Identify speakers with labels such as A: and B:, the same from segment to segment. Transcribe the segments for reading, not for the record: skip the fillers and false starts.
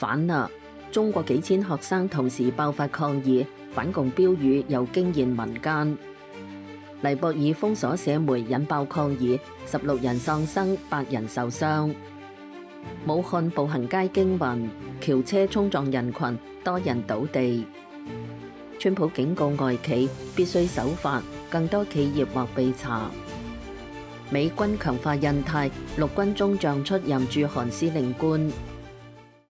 A: 反啦！中國幾千學生同時爆發抗議，反共標語又驚現民間。尼泊爾封鎖社媒引爆抗議，16人喪生，8人受傷。武漢步行街驚魂，轎車衝撞人群，多人倒地。川普警告外企必須守法，更多企業或被查。美軍強化印太，陸軍中將出任駐韓司令官。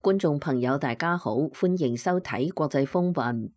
A: 觀眾朋友大家好，歡迎收睇國際風雲。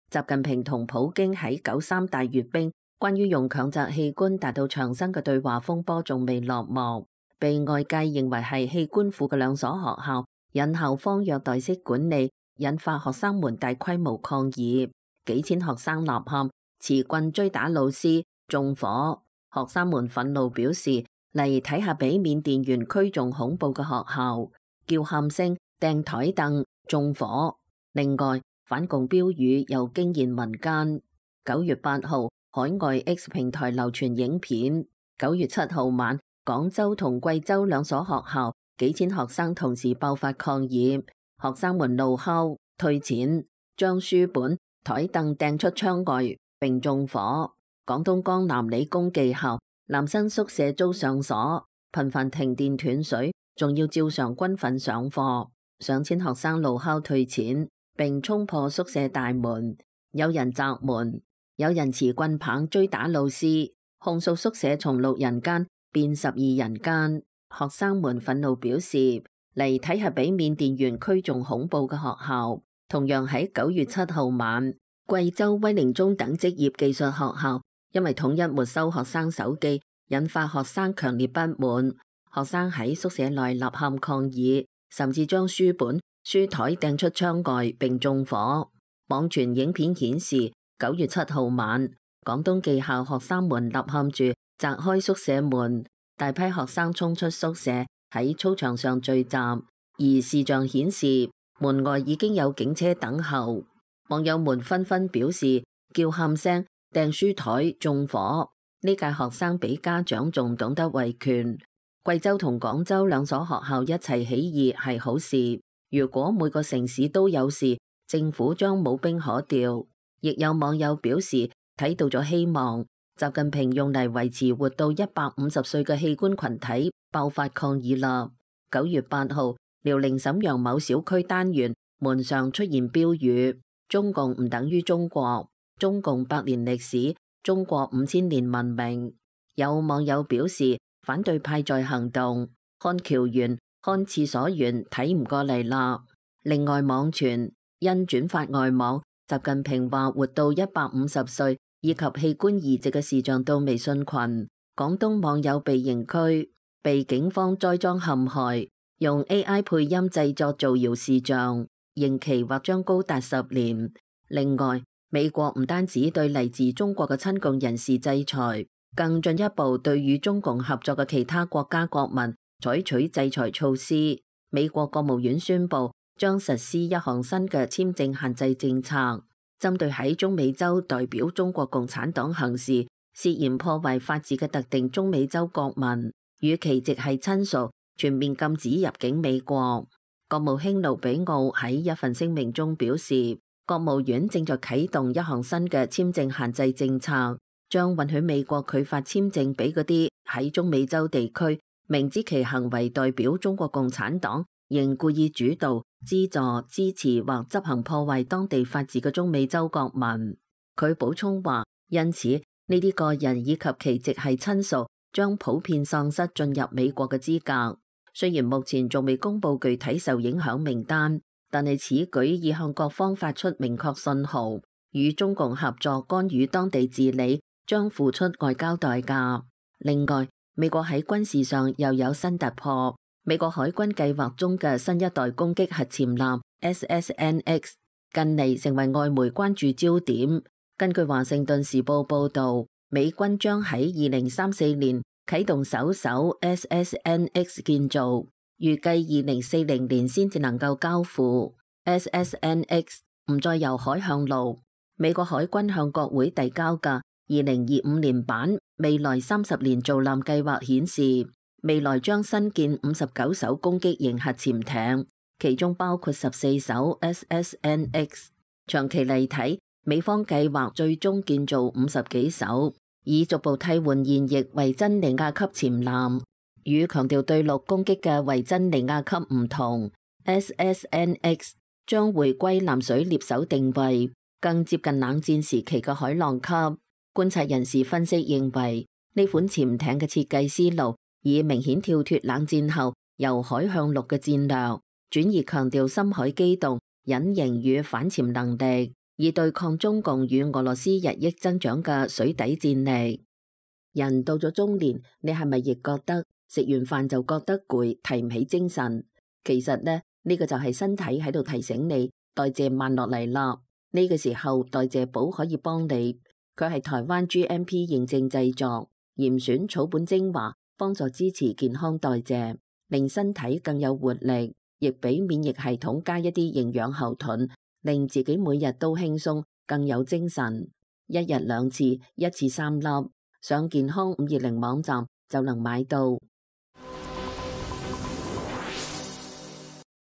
A: 習近平同普京喺93大閱兵，關於用強摘器官達到長生嘅對話風波仲未落幕，被外界認為係器官庫嘅兩所學校引校方虐待式管理，引發學生們大規模抗議，幾千學生吶喊，持棍追打老師，縱火。學生們憤怒表示，嚟睇下比緬甸園區仲恐怖嘅學校，叫喊聲、掟台凳、縱火。另外，反共標語又驚現民間。9月8號，海外 X 平台流傳影片。9月7號晚，廣州同貴州兩所學校幾千學生同時爆發抗議，學生們怒吼、退錢，將書本、台凳掟出窗外，並縱火。廣東江南理工技校男生宿舍遭上鎖，頻繁停電斷水，仲要照常軍訓上課。上千學生怒吼退錢，並衝破宿舍大門，有人砸門，有人持棍棒追打老師，控訴宿舍從6人間變12人間。學生們憤怒表示，嚟睇下比緬甸園區仲恐怖嘅學校。同樣喺9月7號晚，貴州威寧中等職業技術學校因為統一沒收學生手機，引發學生強烈不滿。學生喺宿舍內吶喊抗議，甚至將書本、書台掟出窗外並縱火。網傳影片顯示，9月7號晚，廣東技校學生們吶喊住砸開宿舍門，大批學生衝出宿舍喺操場上聚集，而視像顯示門外已經有警車等候。網友們紛紛表示，叫喊聲、掟書台、縱火。呢屆學生比家長仲懂得維權。貴州同廣州兩所學校一齊起義係好事。如果每個城市都有事，政府將冇兵可調。亦有網友表示睇到咗希望。習近平用嚟維持活到150歲嘅器官群體爆發抗議啦。9月8號，遼寧瀋陽某小區單元門上出現標語：中共唔等於中國，中共100年歷史，中國5000年文明。有網友表示反對派在行動，看橋員、看廁所員睇唔過嚟啦。另外網傳因轉發外網，習近平話活到150歲以及器官移植嘅視像到微信群，廣東網友被刑拘，被警方栽贓陷害，用 AI 配音製作造謠視像，刑期或將高達10年。另外，美國唔單止對嚟自中國嘅親共人士制裁，更進一步對與中共合作嘅其他國家國民採取制裁措施。美國國務院宣布將實施一項新嘅簽證限制政策，針對喺中美洲代表中國共產黨行事、涉嫌破壞法治嘅特定中美洲國民與其直系親屬，全面禁止入境美國。國務卿盧比奧喺一份聲明中表示，國務院正在啟動一項新嘅簽證限制政策，將允許美國拒發簽證俾嗰啲喺中美洲地區明知其行為代表中國共產黨，仍故意主導、資助、支持或執行破壞當地法治嘅中美洲國民。佢補充話，因此呢啲個人以及其直系親屬將普遍喪失進入美國嘅資格。雖然目前仲未公布具體受影響名單，但係此舉已向各方發出明確信號，與中共合作干預當地治理將付出外交代價。另外，美國喺軍事上又有新突破。美國海軍計劃中嘅新一代攻擊核潛艦 SSNX 近嚟成為外媒關注焦點。根據華盛頓時報報導，美軍將喺2034年啟動首艘 SSNX 建造，預計2040年先至能夠交付。SSNX 唔再由海向陸。美國海軍向國會遞交嘅2025年版未來30年造艦計劃顯示，未來將新建59艘攻擊型核潛艇，其中包括14艘 SSNX。長期嚟睇，美方計劃最終建造50幾艘，以逐步替換現役維珍尼亞級潛艦。與強調對陸攻擊嘅維珍尼亞級唔同 ，SSNX 將回歸藍水獵手定位，更接近冷戰時期嘅海浪級。觀察人士分析認為，呢款潛艇嘅設計思路已明顯跳脫冷戰後由海向陸嘅戰略，轉而強調深海機動、隱形與反潛能力，以對抗中共與俄羅斯日益增長嘅水底戰力。人到咗中年，你係咪亦覺得食完飯就覺得攰，提唔起精神？其實呢個就係身體喺度提醒你代謝慢落嚟啦。呢個時候代謝寶可以幫你，佢係台灣 GMP 認證製作，嚴選草本精華，幫助支持健康代謝，令身體更有活力，亦俾免疫系統加一啲營養後盾，令自己每日都輕鬆，更有精神。一日2次，一次3粒，上健康520網站就能買到。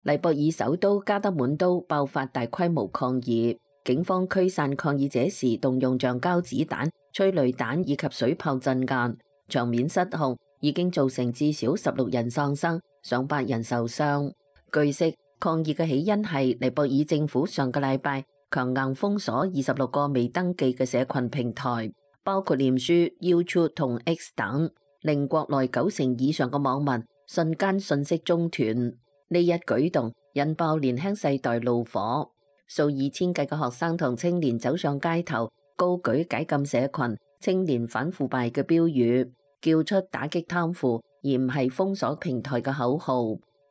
A: 尼泊爾首都加德滿都爆發大規模抗議，警方驅散抗議者時動用橡膠子彈、催淚彈以及水炮鎮壓，場面失控，已經造成至少16人喪生，上百人受傷。據悉，抗議嘅起因係尼泊爾政府上個禮拜強硬封鎖26個未登記嘅社群平台，包括臉書、YouTube 同 X 等，令國內90%以上嘅網民瞬間信息中斷。呢一舉動引爆年輕世代怒火，數以千計嘅學生同青年走上街頭，高舉解禁社群、青年反腐敗嘅標語，叫出打擊貪腐而唔係封鎖平台嘅口號。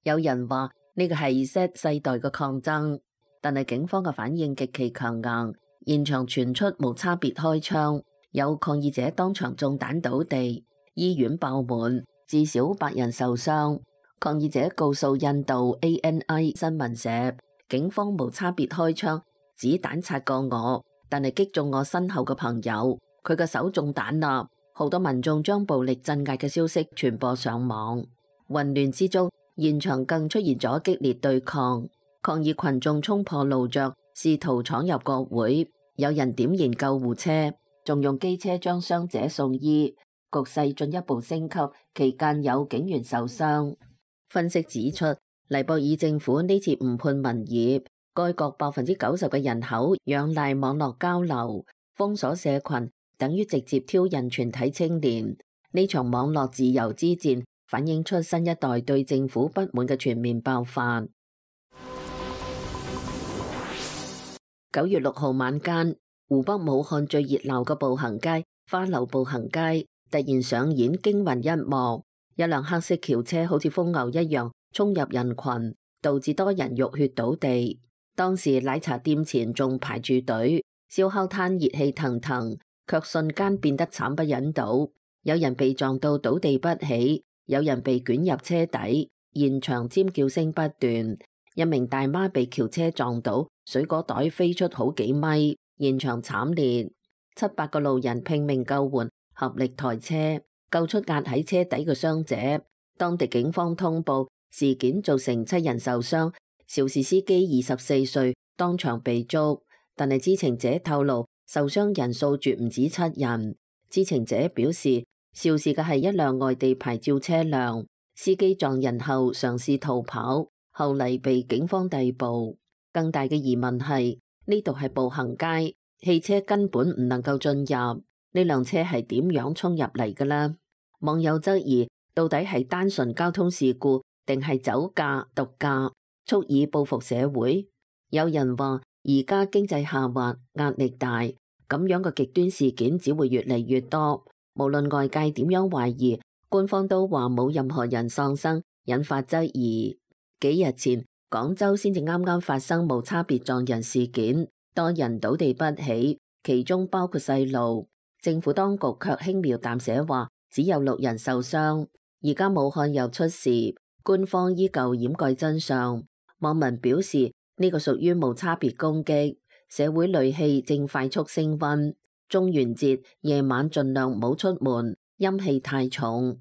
A: 有人話呢個係 Z 世代嘅抗爭，但係警方嘅反應極其強硬，現場傳出無差別開槍，有抗議者當場中彈倒地，醫院爆滿，至少8人受傷。抗議者告訴印度 ANI 新聞社，警方無差別開槍，子彈擦過我，但係擊中我身後嘅朋友，佢嘅手中彈啦。好多民眾將暴力鎮壓嘅消息傳播上網，混亂之中，現場更出現咗激烈對抗，抗議群眾衝破路障，試圖闖入國會，有人點燃救護車，仲用機車將傷者送醫，局勢進一步升級，期間有警員受傷。分析指出，尼泊爾政府呢次誤判民意，該國90%嘅人口仰賴網絡交流，封鎖社群等於直接挑釁全體青年。呢場網絡自由之戰反映出新一代對政府不滿嘅全面爆發。9月6號晚間，湖北武漢最熱鬧嘅步行街花樓步行街突然上演驚魂一幕。一輛黑色轎車好似瘋牛一樣衝入人群，導致多人浴血倒地。當時奶茶店前仲排住隊，燒烤攤熱氣騰騰，卻瞬間變得慘不忍睹。有人被撞到倒地不起，有人被捲入車底，現場尖叫聲不斷。一名大媽被轎車撞倒，水果袋飛出好幾米，現場慘烈。7-8個路人拼命救援，合力抬車，救出壓喺車底嘅傷者。當地警方通報事件造成7人受傷，肇事司機24歲，當場被捉。但係知情者透露，受傷人數絕唔止7人。知情者表示，肇事嘅係一輛外地牌照車輛，司機撞人後嘗試逃跑，後嚟被警方逮捕。更大嘅疑問係，呢度係步行街，汽車根本唔能夠進入。呢輛車係點樣衝入嚟嘅呢？網友質疑，到底係單純交通事故，定係酒駕、毒駕，蓄意報復社會？有人話，而家經濟下滑，壓力大，咁樣嘅極端事件只會越嚟越多。無論外界點樣懷疑，官方都話冇任何人喪生，引發質疑。幾日前，廣州先至啱啱發生無差別撞人事件，多人倒地不起，其中包括細路。政府當局卻輕描淡寫話只有6人受傷。而家武漢又出事，官方依舊掩蓋真相。網民表示呢個屬於無差別攻擊，社會戾氣正快速升溫。中元節夜晚盡量唔好出門，陰氣太重。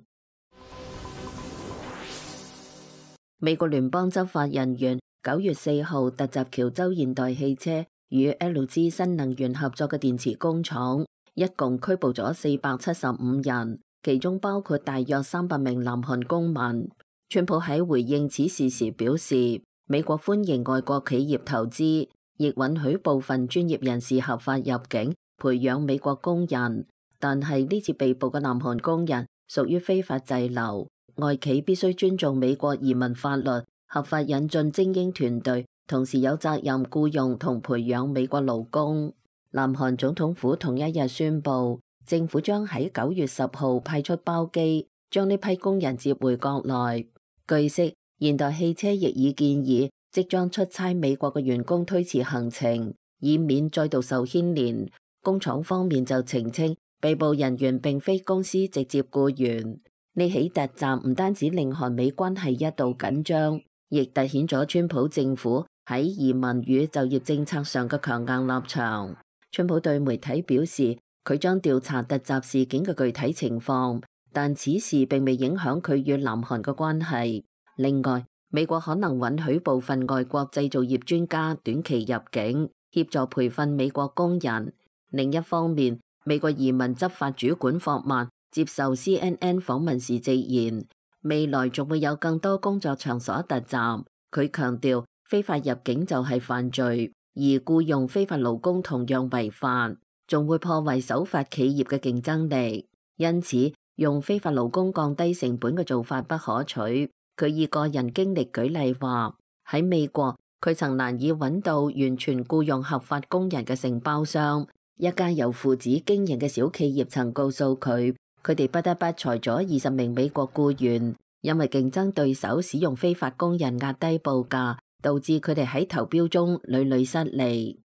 A: 美國聯邦執法人員9月4號突襲喬州現代汽車與 LG 新能源合作嘅電池工廠，一共拘捕咗475人，其中包括大約300名南韓公民。川普喺回應此事時表示，美國歡迎外國企業投資，亦允許部分專業人士合法入境，培養美國工人。但係呢次被捕嘅南韓工人屬於非法滯留，外企必須尊重美國移民法律，合法引進精英團隊，同時有責任僱用同培養美國勞工。南韓總統府同一日宣布，政府將喺9月10號派出包機，將呢批工人接回國內。據悉，現代汽車亦已建議即將出差美國嘅員工推遲行程，以免再度受牽連。工廠方面就澄清，被捕人員並非公司直接僱員。呢起突襲唔單止令韓美關係一度緊張，亦凸顯咗川普政府喺移民與就業政策上嘅強硬立場。川普對媒體表示，佢將調查突襲事件嘅具體情況，但此事並未影響佢與南韓嘅關係。另外，美國可能允許部分外國製造業專家短期入境，協助培訓美國工人。另一方面，美國移民執法主管霍曼接受 CNN 訪問時直言，未來仲會有更多工作場所突襲。佢強調，非法入境就係犯罪，而僱用非法勞工同樣違法，仲會破壞守法企業嘅競爭力。因此，用非法勞工降低成本嘅做法不可取。佢以個人經歷舉例話，喺美國佢曾難以揾到完全僱用合法工人嘅承包商。一家由父子經營嘅小企業曾告訴佢，佢哋不得不裁咗20名美國僱員，因為競爭對手使用非法工人壓低報價，導致佢哋喺投標中屢屢失利。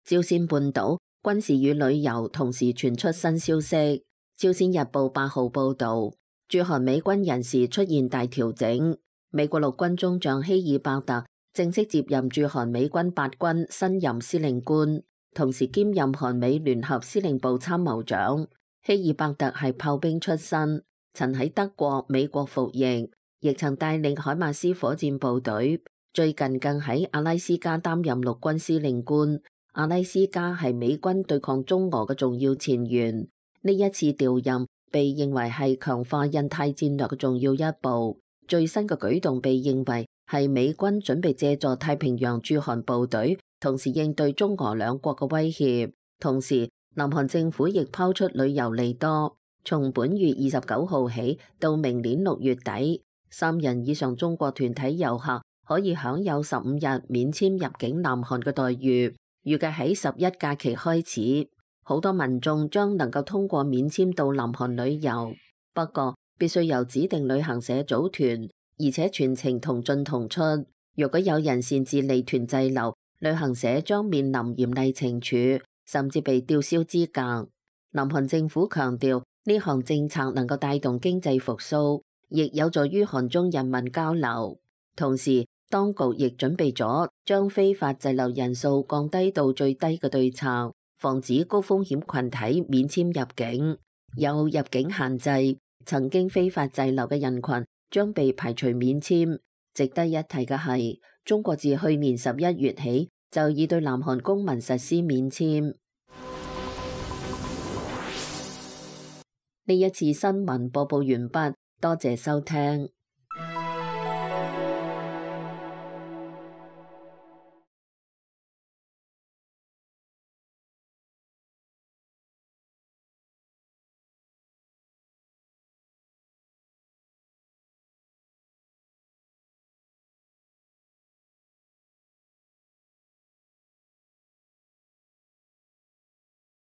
A: 朝鮮半島軍事與旅遊同時傳出新消息。朝鮮日報8號報導，駐韓美軍人事出現大調整，美國陸軍中將希爾伯特正式接任駐韓美軍8軍新任司令官，同時兼任韓美聯合司令部參謀長。希爾伯特係炮兵出身，曾喺德國、美國服役，亦曾帶領海馬斯火箭部隊，最近更喺阿拉斯加擔任陸軍司令官。阿拉斯加係美軍對抗中俄嘅重要前沿。呢一次調任被認為係強化印太戰略嘅重要一步。最新嘅舉動被認為係美軍準備借助太平洋駐韓部隊，同時應對中俄兩國嘅威脅。同時，南韓政府亦拋出旅遊利多，從本月29號起到明年6月底，3人以上中國團體遊客可以享有15日免簽入境南韓嘅待遇。預計喺11假期開始，好多民眾將能夠通過免簽到南韓旅遊，不過必須由指定旅行社組團，而且全程同進同出。若果有人擅自離團滯留，旅行社將面臨嚴厲懲處，甚至被吊銷資格。南韓政府強調，呢項政策能夠帶動經濟復甦，亦有助於韓中人民交流。同時，當局亦準備咗將非法滯留人數降低到最低嘅對策，防止高風險群體免簽入境。有入境限制，曾經非法滯留嘅人群將被排除免簽。值得一提嘅係，中國自去年11月起就已對南韓公民實施免簽。呢一次新聞播報完畢，多謝收聽。